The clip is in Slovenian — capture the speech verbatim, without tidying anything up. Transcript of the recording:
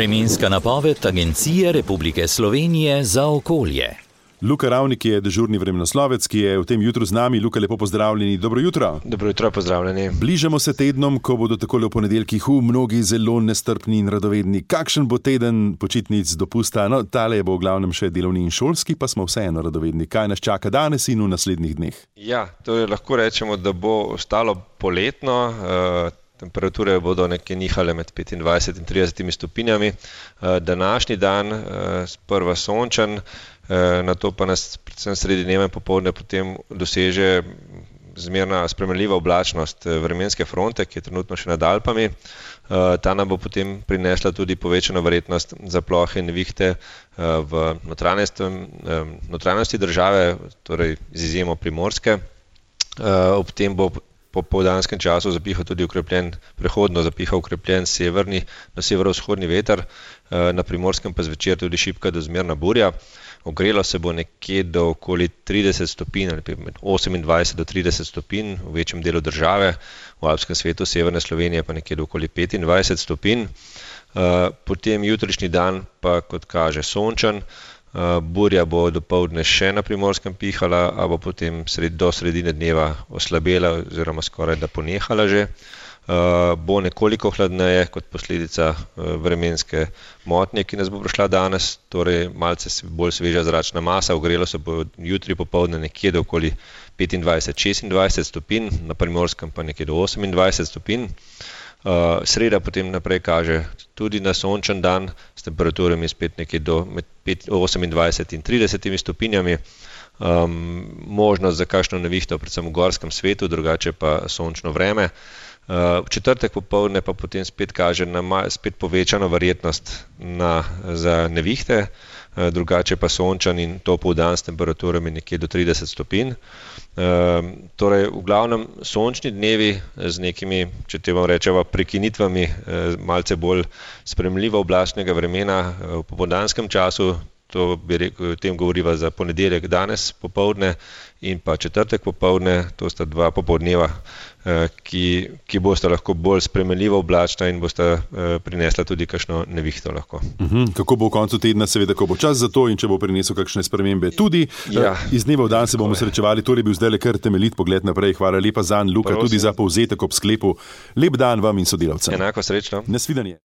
Vremenska napoved Agencije Republike Slovenije za okolje. Luka Ravnik je dežurni vremenoslovec, ki je v tem jutru z nami. Luka, lepo pozdravljeni. Dobro jutro. Dobro jutro, pozdravljeni. Bližamo se tednom, ko bodo takole v ponedeljkih v mnogi zelo nestrpni in radovedni. Kakšen bo teden počitnic, dopusta? No, tale je bo v glavnem še delovni in šolski, pa smo vseeno radovedni. Kaj nas čaka danes in v naslednjih dneh? Ja, torej lahko rečemo, da bo ostalo poletno. Uh, Temperature bodo nekje nihale med petindvajset in trideset stopinjami. Današnji dan sprva sončen, na to pa nas predvsem sredi dneva in popoldne potem doseže zmerna spremenljiva oblačnost vremenske fronte, ki je trenutno še nad Alpami. Ta nam bo potem prinesla tudi povečano verjetnost za plohe in nevihte v notranjosti države, torej z izjemo Primorske. Ob tem bo po popoldanskem času zapihal tudi ukrepljen, prehodno zapihal ukrepljen severni, na severovzhodni veter, na Primorskem pa zvečer tudi šibka do zmerna burja. Ogrelo se bo nekje do okoli trideset stopinj, ali med osemindvajset do trideset stopinj v večjem delu države, v alpskem svetu severne Slovenije pa nekje do okoli petindvajset stopinj. Potem jutrišnji dan pa, kot kaže, sončen. Burja bo dopoldne še na Primorskem pihala, a bo potem sred, do sredine dneva oslabela oziroma skoraj da ponehala že. Uh, bo nekoliko hladneje kot posledica uh, vremenske motnje, ki nas bo prišla danes, torej malce bolj sveža zračna masa. Ogrelo se bo jutri popoldne nekje do okoli petindvajset do šestindvajset stopinj, na Primorskem pa nekje do osemindvajset stopinj. Uh, sreda potem naprej kaže tudi na sončen dan s temperaturami spet nekje do med osemindvajset in trideset stopinjami. Um, možnost za kakšno nevihto, predvsem v gorskem svetu, drugače pa sončno vreme. Uh, v četrtek popoldne pa potem spet kaže na spet povečano verjetnost na, za nevihte, uh, drugače pa sončen in topel dan s temperaturami nekje do trideset stopinj. Uh, torej, v glavnem sončni dnevi z nekimi, če te vam rečeva, prekinitvami uh, malce bolj spremljivo oblačnega vremena uh, v popoldanskem času. To bi rekel, o tem govoriva za ponedeljek danes popoldne in pa četrtek popoldne. To sta dva popoldneva, ki, ki bosta lahko bolj spremenljivo oblačna in bosta prinesla tudi kakšno nevihto lahko. Uhum, kako bo v koncu tedna, seveda, ko bo čas za to in če bo prinesel kakšne spremembe tudi. Ja, iz dneva v dan se bomo srečevali, torej bil zdaj le kar temeljit pogled naprej. Hvala lepa zanj, Luka, tudi za povzetek ob sklepu. Lep dan vam in sodelavcem. Enako srečno. Nasvidenje.